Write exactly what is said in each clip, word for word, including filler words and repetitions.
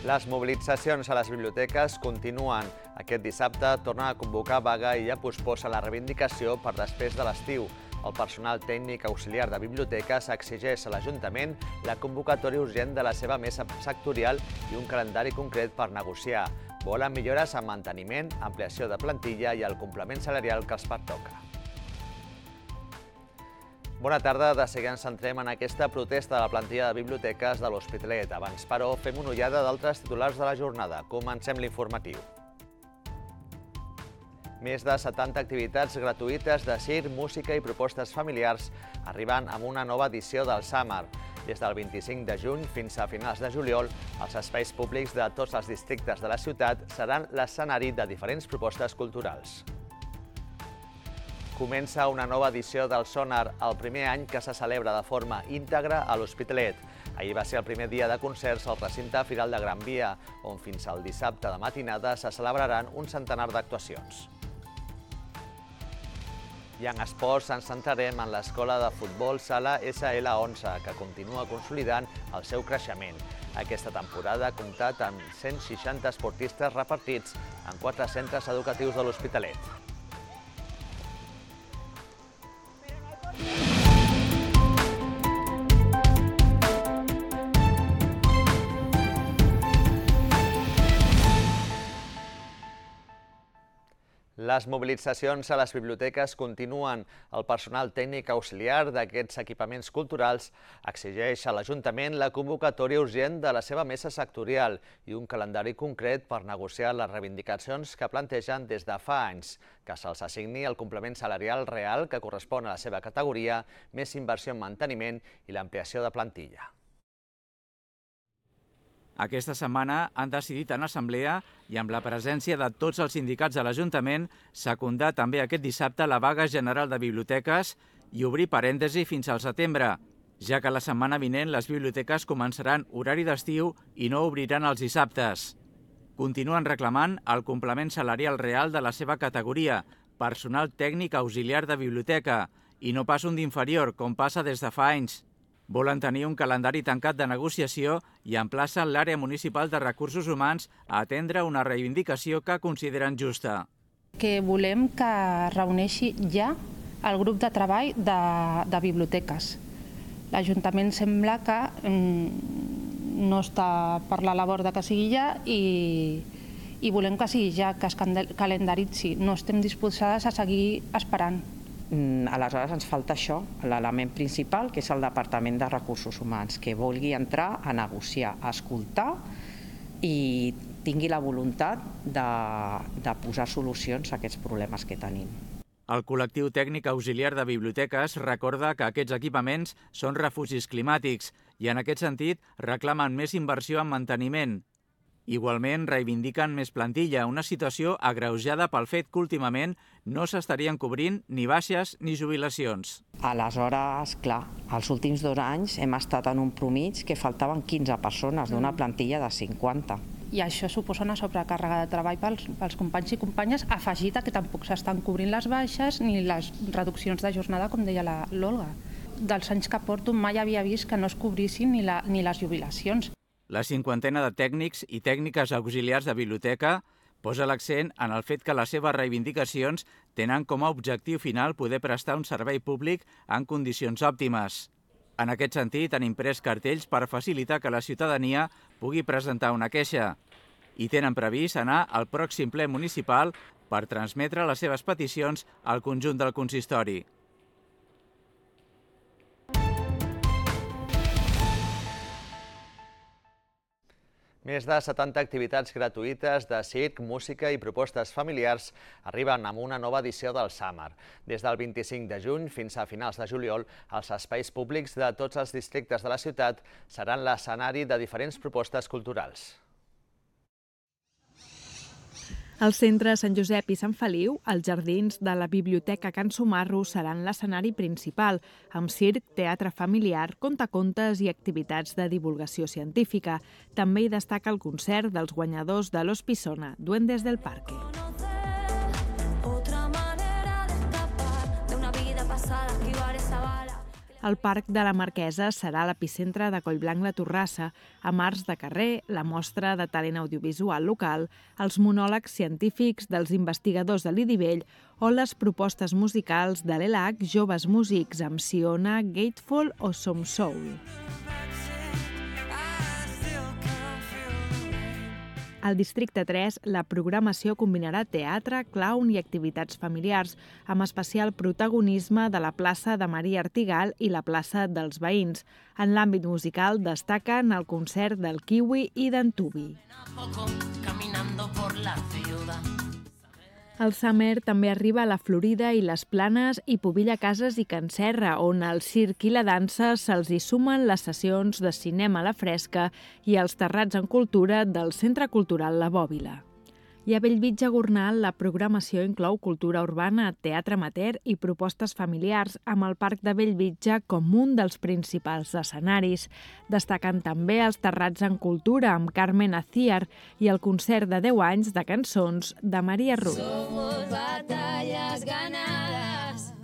Les mobilitzacions a les biblioteques continuen. Aquest dissabte tornen a convocar vaga i ja posposa la reivindicació per després de l'estiu. El personal tècnic auxiliar de biblioteques exigeix a l'Ajuntament la convocatòria urgent de la seva mesa sectorial i un calendari concret per negociar. Volen millores en manteniment, ampliació de plantilla i el complement salarial que els pertoca. Bona tarda. De seguida ens centrem en aquesta protesta de la plantilla de biblioteques de l'Hospitalet. Abans, però, fem una ullada d'altres titulars de la jornada. Comencem l'informatiu. Més de setanta activitats gratuïtes de circ, música i propostes familiars arriben amb una nova edició del Summer. Des del vint-i-cinc de juny fins a finals de juliol, els espais públics de tots els districtes de la ciutat seran l'escenari de diferents propostes culturals. Comença una nova edició del Sonar, el primer any que se celebra de forma íntegra a l'Hospitalet. Ahir va ser el primer dia de concerts al recinte Firal de Gran Via, on fins al dissabte de matinada se celebraran un centenar d'actuacions. I en esports ens centrarem en l'escola de futbol Sala S L onze, que continua consolidant el seu creixement. Aquesta temporada ha comptat amb cent seixanta esportistes repartits en quatre centres educatius de l'Hospitalet. Les mobilitzacions a les biblioteques continuen. El personal tècnic auxiliar d'aquests equipaments culturals exigeix a l'Ajuntament la convocatòria urgent de la seva mesa sectorial i un calendari concret per negociar les reivindicacions que plantegen des de fa anys, que se'ls assigni el complement salarial real que correspon a la seva categoria, més inversió en manteniment i l'ampliació de plantilla. Aquesta setmana han decidit en assemblea i amb la presència de tots els sindicats de l'Ajuntament secundar també aquest dissabte la vaga general de biblioteques i obrir parèntesi fins al setembre, ja que la setmana vinent les biblioteques començaran horari d'estiu i no obriran els dissabtes. Continuen reclamant el complement salarial real de la seva categoria, personal tècnic auxiliar de biblioteca, i no pas un d'inferior, com passa des de fa anys. Volen tenir un calendari tancat de negociació i emplacen l'àrea municipal de recursos humans a atendre una reivindicació que consideren justa. Que volem que es reuneixi ja el grup de treball de, de biblioteques. L'Ajuntament sembla que mm, no està per la labor de que sigui ja i, i volem que sigui ja, que es calendaritzi. No estem disposades a seguir esperant. Aleshores ens falta això, l'element principal, que és el Departament de Recursos Humans, que vulgui entrar a negociar, a escoltar i tingui la voluntat de, de posar solucions a aquests problemes que tenim. El col·lectiu tècnic auxiliar de biblioteques recorda que aquests equipaments són refugis climàtics i en aquest sentit reclamen més inversió en manteniment. Igualment, reivindiquen més plantilla, una situació agreujada pel fet que últimament no s'estarien cobrint ni baixes ni jubilacions. Aleshores, clar, els últims dos anys hem estat en un promig que faltaven quinze persones d'una plantilla de cinquanta. I això suposa una sobrecàrrega de treball pels, pels companys i companyes, afegit a que tampoc s'estan cobrint les baixes ni les reduccions de jornada, com deia l'Olga. Dels anys que porto mai havia vist que no es cobrissin ni, la, ni les jubilacions. La cinquantena de tècnics i tècniques auxiliars de biblioteca posa l'accent en el fet que les seves reivindicacions tenen com a objectiu final poder prestar un servei públic en condicions òptimes. En aquest sentit, han imprès cartells per facilitar que la ciutadania pugui presentar una queixa i tenen previst anar al pròxim ple municipal per transmetre les seves peticions al conjunt del consistori. Més de setanta activitats gratuïtes de circ, música i propostes familiars arriben amb una nova edició del Summer. Des del vint-i-cinc de juny fins a finals de juliol, els espais públics de tots els districtes de la ciutat seran l'escenari de diferents propostes culturals. Al centre Sant Josep i Sant Feliu, els jardins de la Biblioteca Can Sumarro seran l'escenari principal, amb circ, teatre familiar, contacontes i activitats de divulgació científica. També hi destaca el concert dels guanyadors de l'Os Pisona, Duendes del Parque. el Parc de la Marquesa serà l'epicentre de Collblanc la Torrassa, amb arts de carrer, la mostra de talent audiovisual local, els monòlegs científics dels investigadors de l'Idivell o les propostes musicals de l'E L A C Joves Músics amb Siona, Gateful o Som Soul. Al Districte tres, la programació combinarà teatre, clown i activitats familiars, amb especial protagonisme de la plaça de Maria Artigal i la plaça dels Veïns. En l'àmbit musical destaquen el concert del Kiwi i d'en Tubi. El Summer també arriba a la Florida i les Planes i Pobilla Cases i Can Serra, on al circ i la dansa se'ls hi sumen les sessions de cinema a la fresca i els terrats en cultura del Centre Cultural La Bòbila. I a Bellvitge Gornal la programació inclou cultura urbana, teatre amateur i propostes familiars, amb el Parc de Bellvitge com un dels principals escenaris. Destaquen també els terrats en cultura amb Carmen Aciar i el concert de deu anys de cançons de Maria Rull. Somos batallas ganadas.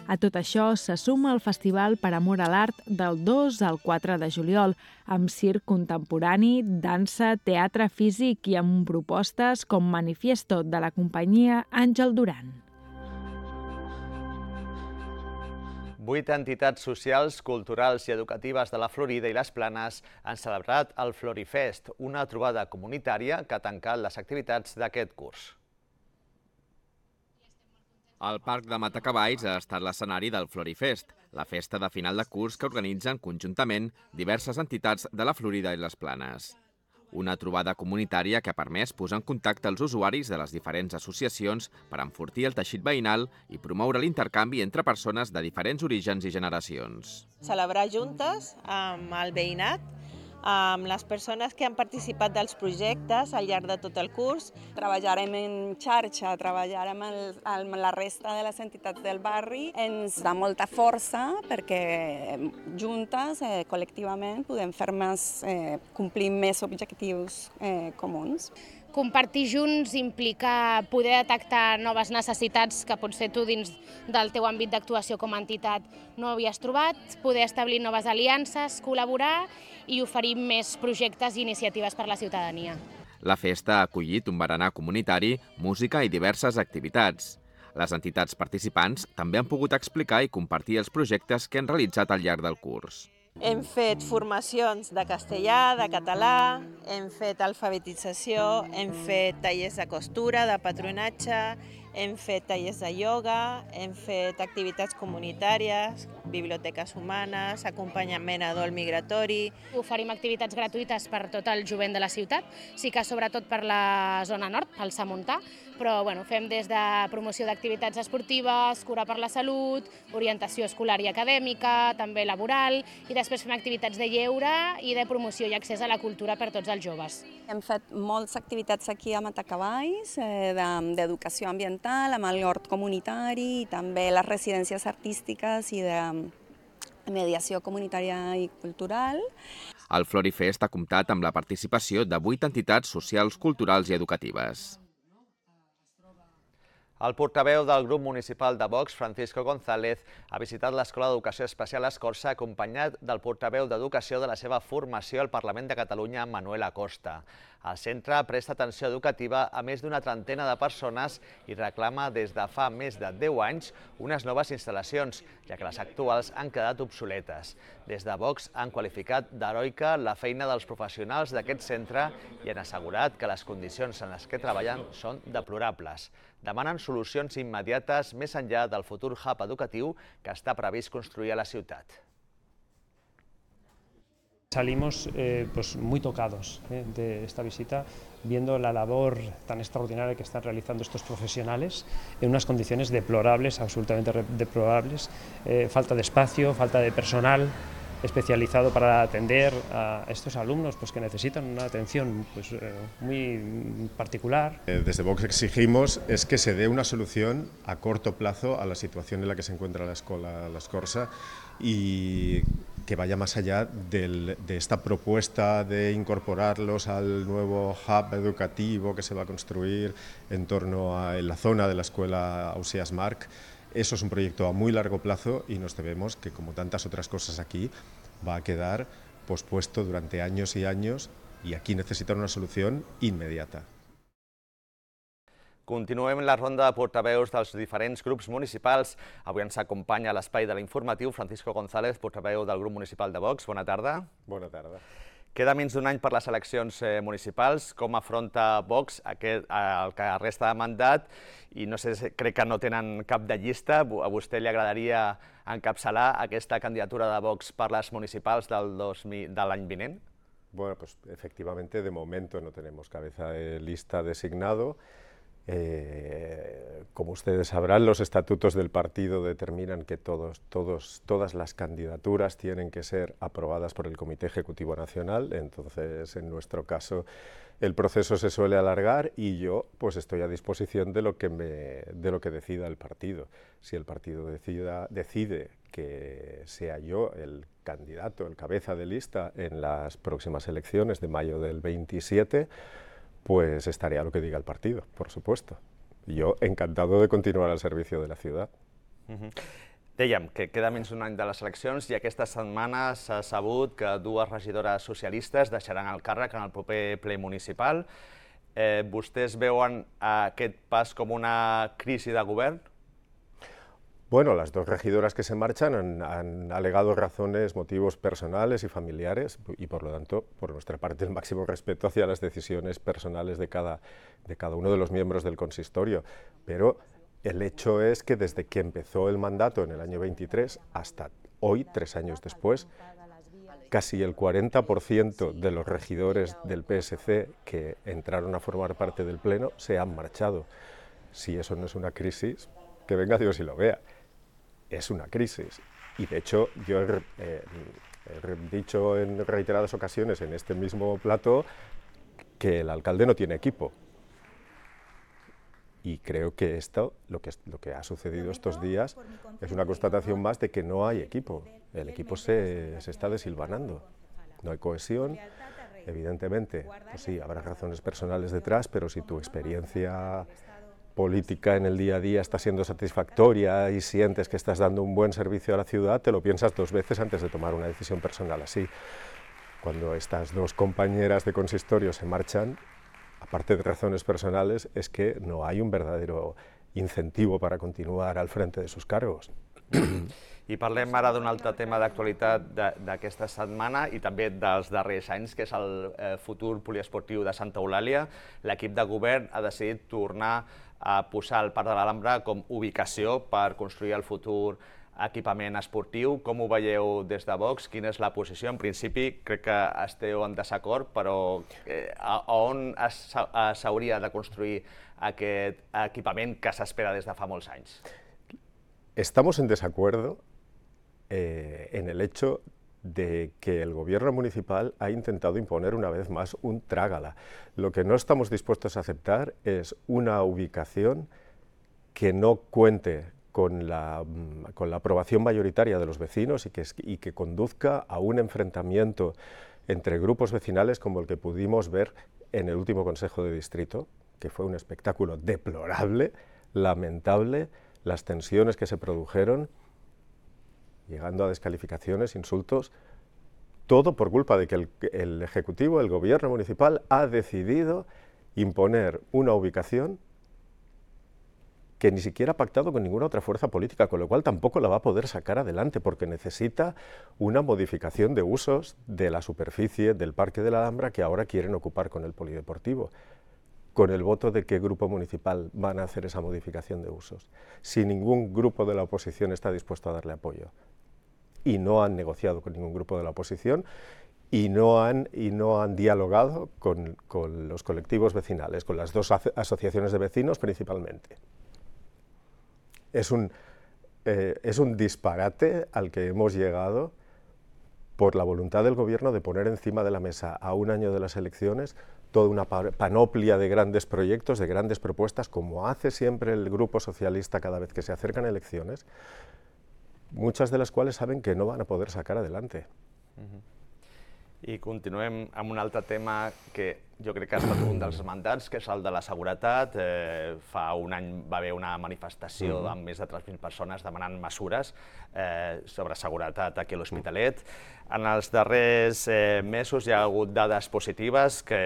A tot això se suma el Festival per Amor a l'Art del dos al quatre de juliol, amb circ contemporani, dansa, teatre físic i amb propostes com Manifiesto de la companyia Àngel Duran. Vuit entitats socials, culturals i educatives de la Florida i les Planes han celebrat el Florifest, una trobada comunitària que ha tancat les activitats d'aquest curs. El Parc de Matacavalls ha estat l'escenari del Florifest, la festa de final de curs que organitzen conjuntament diverses entitats de la Florida i les Planes. Una trobada comunitària que ha permès posar en contacte els usuaris de les diferents associacions per enfortir el teixit veïnal i promoure l'intercanvi entre persones de diferents orígens i generacions. Celebrar juntes amb el veïnat, amb les persones que han participat dels projectes al llarg de tot el curs. Treballarem en xarxa, treballarem amb la resta de les entitats del barri. Ens dà molta força perquè juntes, eh, col·lectivament, podem fer més, eh, complir més objectius eh, comuns. Compartir junts implica poder detectar noves necessitats que potser tu dins del teu àmbit d'actuació com a entitat no havies trobat, poder establir noves aliances, col·laborar i oferir més projectes i iniciatives per a la ciutadania. La festa ha acollit un berenar comunitari, música i diverses activitats. Les entitats participants també han pogut explicar i compartir els projectes que han realitzat al llarg del curs. Hem fet formacions de castellà, de català, hem fet alfabetització, hem fet tallers de costura, de patronatge, hem fet tallers de ioga, hem fet activitats comunitàries, biblioteques humanes, acompanyament a dol migratori. Oferim activitats gratuïtes per tot el jovent de la ciutat, sí que sobretot per la zona nord, pel Samontà, però bueno, fem des de promoció d'activitats esportives, cura per la salut, orientació escolar i acadèmica, també laboral, i després fem activitats de lleure i de promoció i accés a la cultura per tots els joves. Hem fet moltes activitats aquí a Matacavalls, eh, d'educació ambiental, amb el hort comunitari i també les residències artístiques i de mediació comunitària i cultural. El Florifest ha comptat amb la participació de vuit entitats socials, culturals i educatives. El portaveu del grup municipal de Vox, Francisco González, ha visitat l'Escola d'Educació Especial Escorça acompanyat del portaveu d'Educació de la seva formació al Parlament de Catalunya, Manuel Acosta. El centre presta atenció educativa a més d'una trentena de persones i reclama des de fa més de deu anys unes noves instal·lacions, ja que les actuals han quedat obsoletes. Des de Vox han qualificat d'heroica la feina dels professionals d'aquest centre i han assegurat que les condicions en les que treballen són deplorables. Demanen solucions immediates més enllà del futur hub educatiu que està previst construir a la ciutat. Salimos eh, pues muy tocados eh, de esta visita, viendo la labor tan extraordinaria que están realizando estos profesionales en unas condiciones deplorables, absolutamente deplorables, eh, falta de espacio, falta de personal especializado para atender a estos alumnos pues, que necesitan una atención pues, eh, muy particular. Desde Vox exigimos es que se dé una solución a corto plazo a la situación en la que se encuentra la escuela La Escorça y que vaya más allá del, de esta propuesta de incorporarlos al nuevo hub educativo que se va a construir en torno a en la zona de la escuela Ausiàs March. Eso es un proyecto a muy largo plazo y nos tememos que, como tantas otras cosas aquí, va a quedar pospuesto durante años y años i aquí necessiten una solució immediata. Continuem la ronda de portaveus dels diferents grups municipals. Avui ens acompanya a l'espai de l'informatiu Francisco González, portaveu del grup municipal de Vox. Bona tarda. Bona tarda. Queda menys d'un any per les eleccions municipals. Com afronta Vox aquest, el que resta de mandat? I no sé, crec que no tenen cap de llista. A vostè li agradaria encapçalar aquesta candidatura de Vox per les municipals del de l'any vinent? Bueno, pues efectivamente de momento no tenemos cabeza de lista designado. Eh, como ustedes sabrán, los estatutos del partido determinan que todos, todos, todas las candidaturas tienen que ser aprobadas por el Comité Ejecutivo Nacional, entonces en nuestro caso el proceso se suele alargar y yo pues estoy a disposición de lo que, me, de lo que decida el partido. Si el partido decida, decide que sea yo el candidato, el cabeza de lista en las próximas elecciones de mayo del veintisiete, pues estaré a lo que diga el partido, por supuesto. Yo encantado de continuar al servicio de la ciudad. Uh-huh. Dèiem que queda menys d'un any de les eleccions i aquesta setmana s'ha sabut que dues regidores socialistes deixaran el càrrec en el proper ple municipal. Eh, vostès veuen aquest pas com una crisi de govern? Bueno, las dos regidoras que se marchan han, han alegado razones, motivos personales y familiares y por lo tanto, por nuestra parte, el máximo respeto hacia las decisiones personales de cada, de cada uno de los miembros del consistorio. Pero el hecho es que desde que empezó el mandato en el año veintitrés hasta hoy, tres años después, casi el cuarenta por ciento de los regidores del P S C que entraron a formar parte del Pleno se han marchado. Si eso no es una crisis, que venga Dios y lo vea. Es una crisis y de hecho yo he, eh, he dicho en reiteradas ocasiones en este mismo plató que el alcalde no tiene equipo y creo que esto, lo que, lo que ha sucedido estos días es una constatación más de que no hay equipo, el equipo se, se está desilvanando, no hay cohesión, evidentemente, pues sí, habrá razones personales detrás, pero si tu experiencia política en el día a día está siendo satisfactoria y sientes que estás dando un buen servicio a la ciudad, te lo piensas dos veces antes de tomar una decisión personal así. Cuando estas dos compañeras de consistorio se marchan, aparte de razones personales, es que no hay un verdadero incentivo para continuar al frente de sus cargos. I parlem ara d'un altre tema d'actualitat d'aquesta setmana i també dels darrers anys, que és el futur poliesportiu de Santa Eulàlia. L'equip de govern ha decidit tornar a posar el Parc de l'Alhambra com ubicació per construir el futur equipament esportiu. Com ho veieu des de Vox? Quina és la posició? En principi crec que esteu en desacord, però a on s'hauria de construir aquest equipament que s'espera des de fa molts anys? Estamos en desacuerdo eh, en el hecho de que el gobierno municipal ha intentado imponer una vez más un trágala. Lo que no estamos dispuestos a aceptar es una ubicación que no cuente con la, con la aprobación mayoritaria de los vecinos y que, y que conduzca a un enfrentamiento entre grupos vecinales como el que pudimos ver en el último Consejo de Distrito, que fue un espectáculo deplorable, lamentable, las tensiones que se produjeron, llegando a descalificaciones, insultos, todo por culpa de que el, el Ejecutivo, el Gobierno municipal, ha decidido imponer una ubicación que ni siquiera ha pactado con ninguna otra fuerza política, con lo cual tampoco la va a poder sacar adelante, porque necesita una modificación de usos de la superficie del Parque de la Alhambra que ahora quieren ocupar con el polideportivo. ¿Con el voto de qué grupo municipal van a hacer esa modificación de usos? Si ningún grupo de la oposición está dispuesto a darle apoyo. Y no han negociado con ningún grupo de la oposición y no han, y no han dialogado con, con los colectivos vecinales, con las dos asociaciones de vecinos principalmente. Es un, eh, es un disparate al que hemos llegado por la voluntad del gobierno de poner encima de la mesa a un año de las elecciones toda una panoplia de grandes proyectos, de grandes propuestas, como hace siempre el Grupo Socialista cada vez que se acercan elecciones, muchas de las cuales saben que no van a poder sacar adelante. Uh-huh. I continuem amb un altre tema que Jo crec que ha estat un dels mandats, que és el de la seguretat. Eh, fa un any va haver una manifestació mm. amb més de tres mil persones demanant mesures eh, sobre seguretat aquí a l'Hospitalet. En els darrers eh, mesos hi ha hagut dades positives, que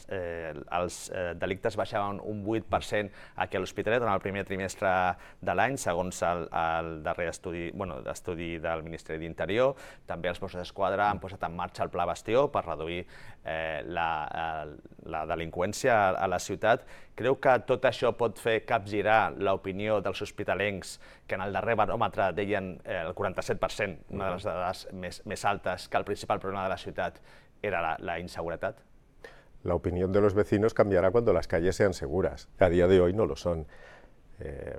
eh, els eh, delictes baixaven un vuit per cent aquí a l'Hospitalet en el primer trimestre de l'any, segons el, el darrer estudi, bueno, estudi del Ministeri d'Interior. També els Mossos d'Esquadra han posat en marxa el Pla Bastió per reduir eh, la, la delinqüència a la ciutat. Creu que tot això pot fer capgirar l'opinió dels hospitalencs, que en el darrer baròmetre deien eh, el quaranta-set per cent, una de les dades més, més altes, que el principal problema de la ciutat era la, la inseguretat? La opinión de los vecinos cambiará cuando las calles sean seguras. A día de hoy no lo son. Eh,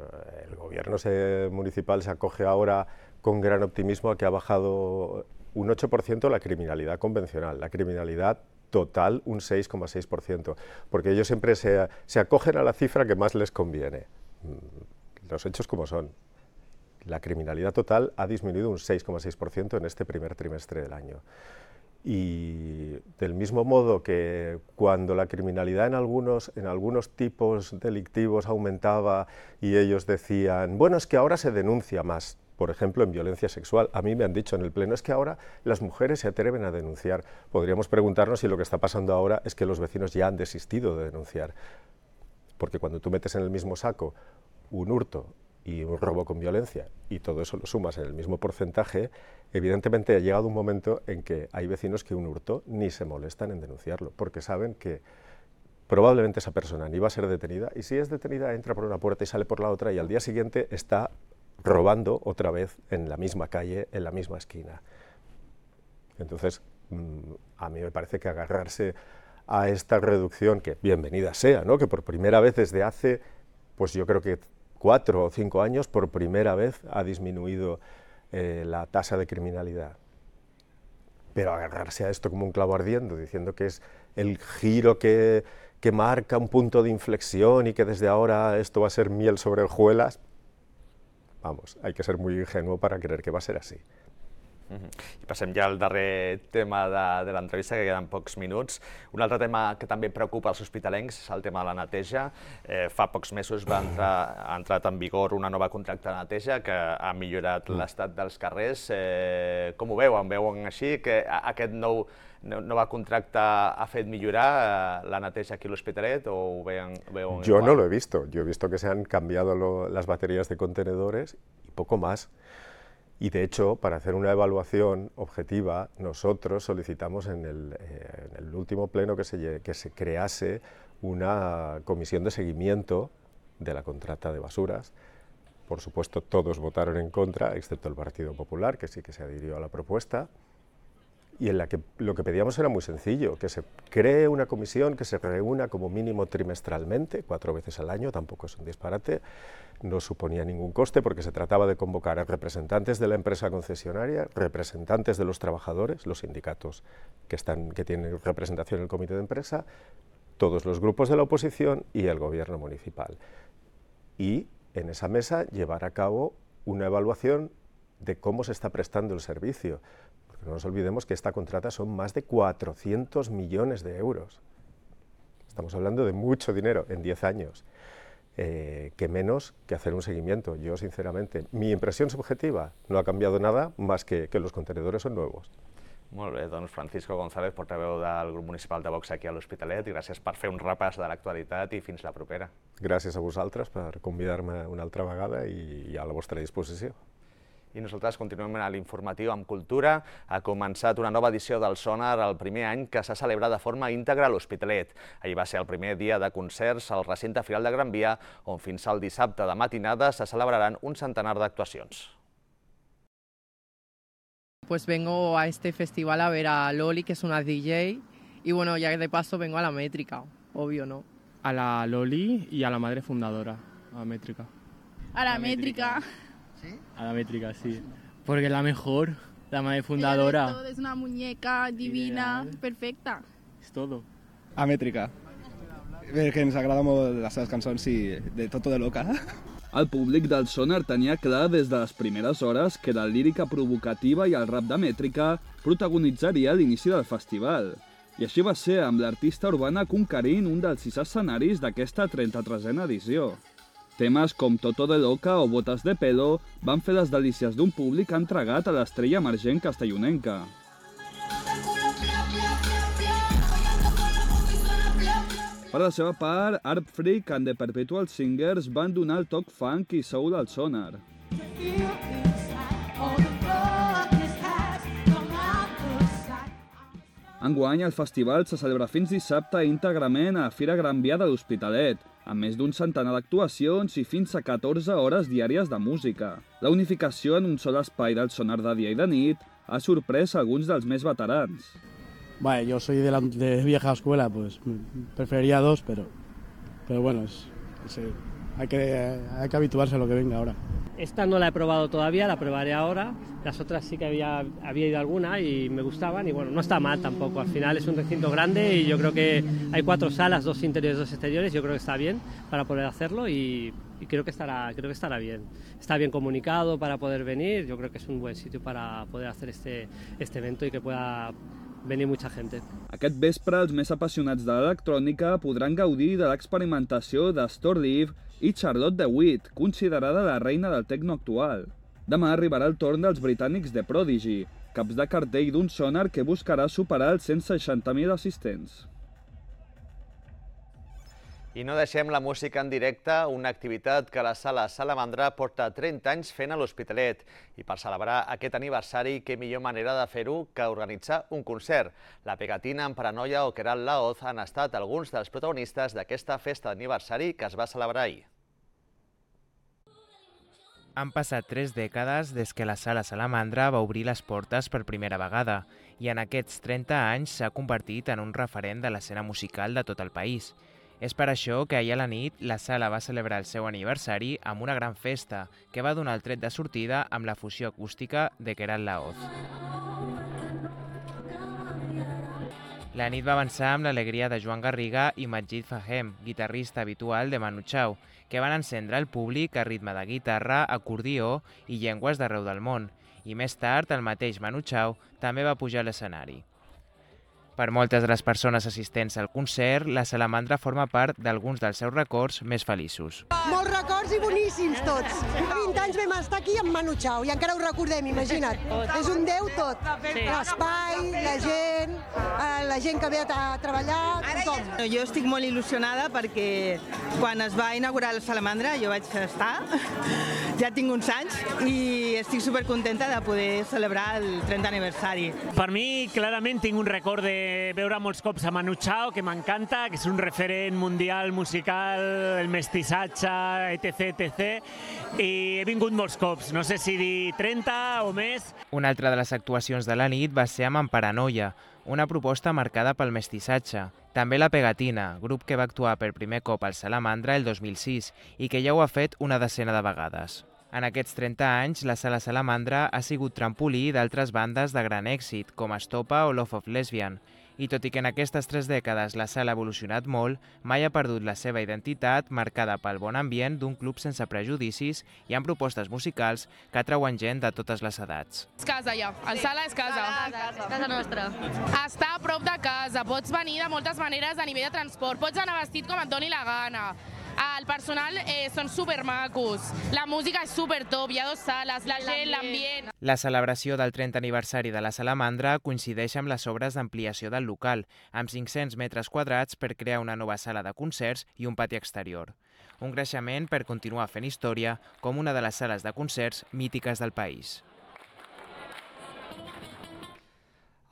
el gobierno se, municipal se acoge ahora con gran optimismo a que ha bajado un ocho por ciento la criminalidad convencional, la criminalidad total un seis coma seis por ciento, porque ellos siempre se, se acogen a la cifra que más les conviene. Los hechos como son. La criminalidad total ha disminuido un seis coma seis por ciento en este primer trimestre del año. Y del mismo modo que cuando la criminalidad en algunos, en algunos tipos delictivos aumentaba y ellos decían, bueno, es que ahora se denuncia más, por ejemplo, en violencia sexual. A mí me han dicho en el Pleno, es que ahora las mujeres se atreven a denunciar. Podríamos preguntarnos si lo que está pasando ahora es que los vecinos ya han desistido de denunciar. Porque cuando tú metes en el mismo saco un hurto y un robo con violencia, y todo eso lo sumas en el mismo porcentaje, evidentemente ha llegado un momento en que hay vecinos que un hurto ni se molestan en denunciarlo, porque saben que probablemente esa persona ni va a ser detenida, y si es detenida entra por una puerta y sale por la otra, y al día siguiente está robando otra vez en la misma calle, en la misma esquina. Entonces, a mí me parece que agarrarse a esta reducción, que bienvenida sea, ¿no? Que por primera vez desde hace, pues yo creo que cuatro o cinco años, por primera vez ha disminuido eh, la tasa de criminalidad. Pero agarrarse a esto como un clavo ardiendo, diciendo que es el giro que, que marca un punto de inflexión y que desde ahora esto va a ser miel sobre hojuelas, vamos, hay que ser muy ingenuo para creer que va a ser así. Uh-huh. I passem ja al darrer tema de, de l'entrevista, que queden pocs minuts. Un altre tema que també preocupa els hospitalencs és el tema de la neteja. Eh, fa pocs mesos va entrar, ha entrat en vigor una nova contracte de neteja que ha millorat l'estat dels carrers. Eh, com ho veuen? Veuen així que aquest nou nova contracte ha fet millorar eh, la neteja aquí a l'Hospitalet, o ho veuen, veuen Yo igual? no lo he visto. Yo he visto que se han cambiado lo, las baterías de contenedores y poco más. Y de hecho, para hacer una evaluación objetiva, nosotros solicitamos en el, eh, en el último pleno que se, que se crease una comisión de seguimiento de la contrata de basuras. Por supuesto, todos votaron en contra, excepto el Partido Popular, que sí que se adhirió a la propuesta. Y en la que lo que pedíamos era muy sencillo, que se cree una comisión que se reúna como mínimo trimestralmente, cuatro veces al año, tampoco es un disparate, no suponía ningún coste porque se trataba de convocar a representantes de la empresa concesionaria, representantes de los trabajadores, los sindicatos que, están, que tienen representación en el comité de empresa, todos los grupos de la oposición y el gobierno municipal. Y en esa mesa llevar a cabo una evaluación de cómo se está prestando el servicio. No nos olvidemos que esta contrata son más de cuatrocientos millones de euros. Estamos hablando de mucho dinero en diez años, eh, que menos que hacer un seguimiento. Yo, sinceramente, mi impresión subjetiva no ha cambiado nada más que que los contenedores son nuevos. Molt bé, doncs Francisco González, portaveu del grup municipal de Vox aquí a l'Hospitalet, i gràcies per fer un repàs de l'actualitat i fins la propera. Gràcies a vosaltres per convidar-me una altra vegada i a la vostra disposició. I nosaltres continuem a l'informatiu amb cultura. Ha començat una nova edició del Sonar el primer any que s'ha celebrat de forma íntegra a l'Hospitalet. Ahir va ser el primer dia de concerts al recinte Firal de Gran Via, on fins al dissabte de matinada se celebraran un centenar d'actuacions. Pues vengo a este festival a ver a Loli, que es una D J, y bueno, ya de paso vengo a la Métrica, obvio, ¿no? A la Loli y a la madre fundadora, a la Métrica. A la Métrica. ¿Sí? A la Métrica, sí. Porque es la mejor, la madre fundadora. Es, todo, es una muñeca divina, Ideal. Perfecta. És tot. A Métrica. Perquè ens agrada molt les seves cançons i de Toto de Loca. El públic del Sonar tenia clar des de les primeres hores que la lírica provocativa i el rap de Mètrica protagonitzaria l'inici del festival. I així va ser amb l'artista urbana conquerint un dels sis escenaris d'aquesta trenta-tresena edició. Temes com Toto de Loca o Botes de Pelo van fer les delícies d'un públic entregat a l'estrella emergent castellonenca. Per la seva part, Art Freak and the Perpetual Singers van donar el toc funk i soul al sonar. Enguany, el festival se celebra fins dissabte íntegrament a Fira Gran Via de l'Hospitalet, amb més d'un centenar d'actuacions i fins a catorze hores diàries de música. La unificació en un sol espai del sonar de dia i de nit ha sorprès alguns dels més veterans. Bueno, yo soy de, la, de vieja escuela, pues preferiría dos, pero, pero bueno, es, es, hay, que, hay que habituarse a lo que venga ahora. Esta no la he probado todavía, la probaré ahora. Las otras sí que había, había ido alguna y me gustaban y bueno, no está mal tampoco. Al final es un recinto grande y yo creo que hay cuatro salas, dos interiores, dos exteriores. Yo creo que está bien para poder hacerlo y, y creo que estará, creo que estará bien. Está bien comunicado para poder venir. Yo creo que es un buen sitio para poder hacer este, este evento y que pueda venir mucha gente. Aquest vespre, els més apassionats de l'electrònica podran gaudir de l'experimentació de Storlive i Charlotte de Witt, considerada la reina del tecno actual. Demà arribarà el torn dels britànics de Prodigy, caps de cartell d'un sonar que buscarà superar els cent seixanta mil assistents. I no deixem la música en directe, una activitat que la Sala Salamandra porta trenta anys fent a l'Hospitalet. I per celebrar aquest aniversari, què millor manera de fer-ho que organitzar un concert. La Pegatina, en Paranoia o Queralt Laoz han estat alguns dels protagonistes d'aquesta festa d'aniversari que es va celebrar ahir. Han passat tres dècades des que la Sala Salamandra va obrir les portes per primera vegada i en aquests trenta anys s'ha convertit en un referent de l'escena musical de tot el país. És per això que ahir a la nit la sala va celebrar el seu aniversari amb una gran festa que va donar el tret de sortida amb la fusió acústica de Queralt Laoz. La nit va avançar amb l'alegria de Joan Garriga i Majid Fahem, guitarrista habitual de Manu Chao, que van encendre el públic a ritme de guitarra, acordió i llengües d'arreu del món. I més tard, el mateix Manu Chao també va pujar a l'escenari. Per moltes de les persones assistents al concert, la Salamandra forma part d'alguns dels seus records més feliços. Molts records i boníssims tots. Fa vint anys vam estar aquí amb Manu Chao i encara ho recordem, imagina't. És un déu tot. L'espai, la gent, la gent que ve a treballar, tothom. Jo estic molt il·lusionada perquè quan es va inaugurar la Salamandra jo vaig estar, ja tinc uns anys i estic supercontenta de poder celebrar el trentè aniversari. Per mi, clarament, tinc un record de veure molts cops a Manu Chao, que m'encanta, que és un referent mundial musical, el mestissatge, etc, etcètera. I he vingut molts cops, no sé si dir trenta o més. Una altra de les actuacions de la nit va ser amb En Paranoia, una proposta marcada pel mestissatge. També la Pegatina, grup que va actuar per primer cop al Salamandra el dos mil sis i que ja ho ha fet una decena de vegades. En aquests trenta anys, la Sala Salamandra ha sigut trampolí d'altres bandes de gran èxit, com Estopa o Love of Lesbian. I tot i que en aquestes tres dècades la sala ha evolucionat molt, mai ha perdut la seva identitat marcada pel bon ambient d'un club sense prejudicis i amb propostes musicals que atrauen gent de totes les edats. És casa ja, el sala és casa. Casa, casa nostra. Està a prop de casa, pots venir de moltes maneres a nivell de transport, pots anar vestit com et doni la gana. El personal eh, són supermacos, la música és supertop, hi ha dues sales, la gent, l'ambient. La celebració del trentè aniversari de la Salamandra coincideix amb les obres d'ampliació del local, amb cinc-cents metres quadrats per crear una nova sala de concerts i un pati exterior. Un creixement per continuar fent història com una de les sales de concerts mítiques del país.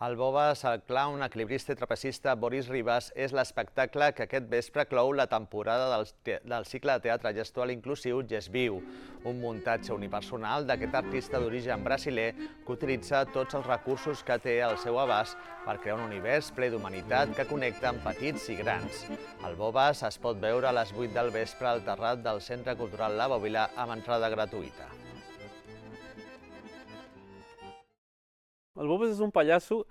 El Bobas, el clown, equilibrista i trapecista Boris Ribas és l'espectacle que aquest vespre clou la temporada del, del cicle de teatre gestual inclusiu Gesviu, un muntatge unipersonal d'aquest artista d'origen brasiler que utilitza tots els recursos que té al seu abast per crear un univers ple d'humanitat que connecta amb petits i grans. El Bobas es pot veure a les vuit del vespre al terrat del Centre Cultural La Bòbila amb entrada gratuïta. El Bobas és un pallasso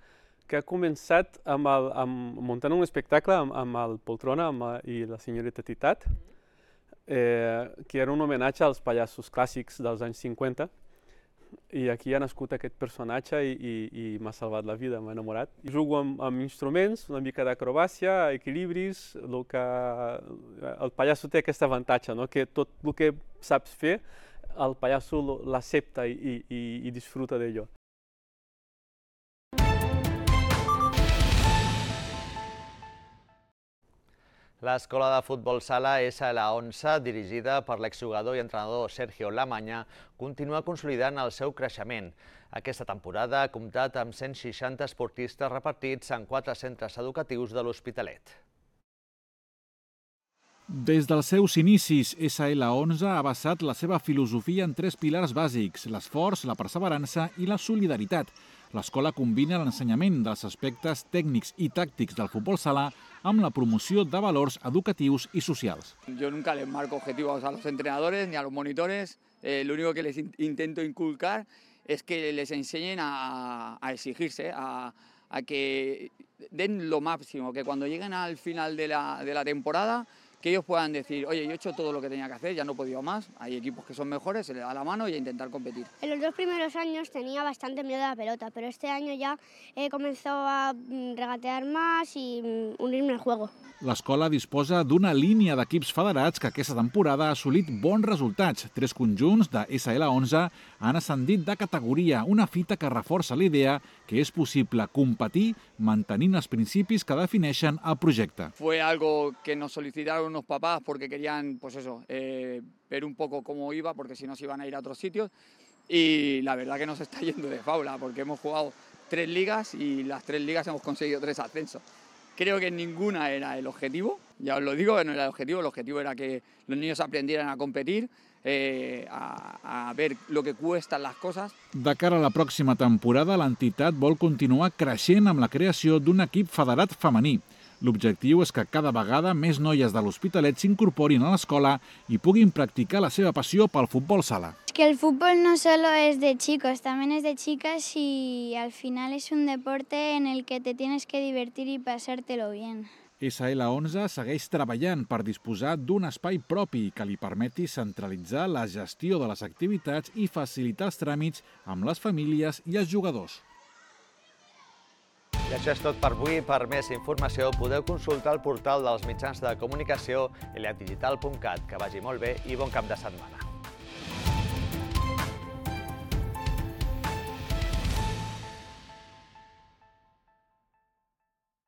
que ha començat amb el, amb, muntant un espectacle amb, amb el Poltrona amb, i la senyoreta Titat, eh, que era un homenatge als pallassos clàssics dels anys cinquanta, i aquí ha nascut aquest personatge i, i, i m'ha salvat la vida, m'ha enamorat. Jugo amb, amb instruments, una mica d'acrobàcia, equilibris, el que el pallasso té aquest avantatge, no? Que tot el que saps fer, el pallasso l'accepta i, i, i disfruta d'ello. L'escola de futbol sala S L onze, dirigida per l'exjugador i entrenador Sergio Lamanya, continua consolidant el seu creixement. Aquesta temporada ha comptat amb cent seixanta esportistes repartits en quatre centres educatius de l'Hospitalet. Des dels seus inicis, S L onze ha basat la seva filosofia en tres pilars bàsics: l'esforç, la perseverança i la solidaritat. L'escola combina l'ensenyament dels aspectes tècnics i tàctics del futbol sala amb la promoció de valors educatius i socials. Yo nunca les marco objetivos a los entrenadores ni a los monitores. Eh, lo único que les in intento inculcar es que les enseñen a, a exigirse, a, a que den lo máximo, que cuando lleguen al final de la, de la temporada, que ellos puedan decir, oye, yo he hecho todo lo que tenía que hacer, ya no he podido más, hay equipos que son mejores, se les da la mano y a intentar competir. En los dos primeros años tenía bastante miedo a la pelota, pero este año ya he comenzado a regatear más y unirme al juego. L'escola disposa d'una línia d'equips federats que aquesta temporada ha assolit bons resultats. Tres conjunts de S L onze han ascendit de categoria, una fita que reforça la idea que és possible competir mantenint els principis que defineixen el projecte. Fue algo que nos solicitaron unos papás porque querían, pues eso, eh, ver un poco cómo iba, porque si no se iban a ir a otros sitios. Y la verdad que nos está yendo de faula, porque hemos jugado tres ligas y las tres ligas hemos conseguido tres ascensos. Creo que ninguna era el objetivo, ya os lo digo, no era el objetivo, el objetivo era que los niños aprendieran a competir, eh, a, a ver lo que cuestan las cosas. De cara a la pròxima temporada, l'entitat vol continuar creixent amb la creació d'un equip federat femení. L'objectiu és que cada vegada més noies de l'Hospitalet s'incorporin a l'escola i puguin practicar la seva passió pel futbol sala. Es que el fútbol no solo es de chicos, también es de chicas y al final es un deporte en el que te tienes que divertir y pasártelo bien. S L onze segueix treballant per disposar d'un espai propi que li permeti centralitzar la gestió de les activitats i facilitar els tràmits amb les famílies i els jugadors. I això és tot per avui. Per més informació podeu consultar el portal dels mitjans de comunicació eliat digital punt cat. Que vagi molt bé i bon cap de setmana.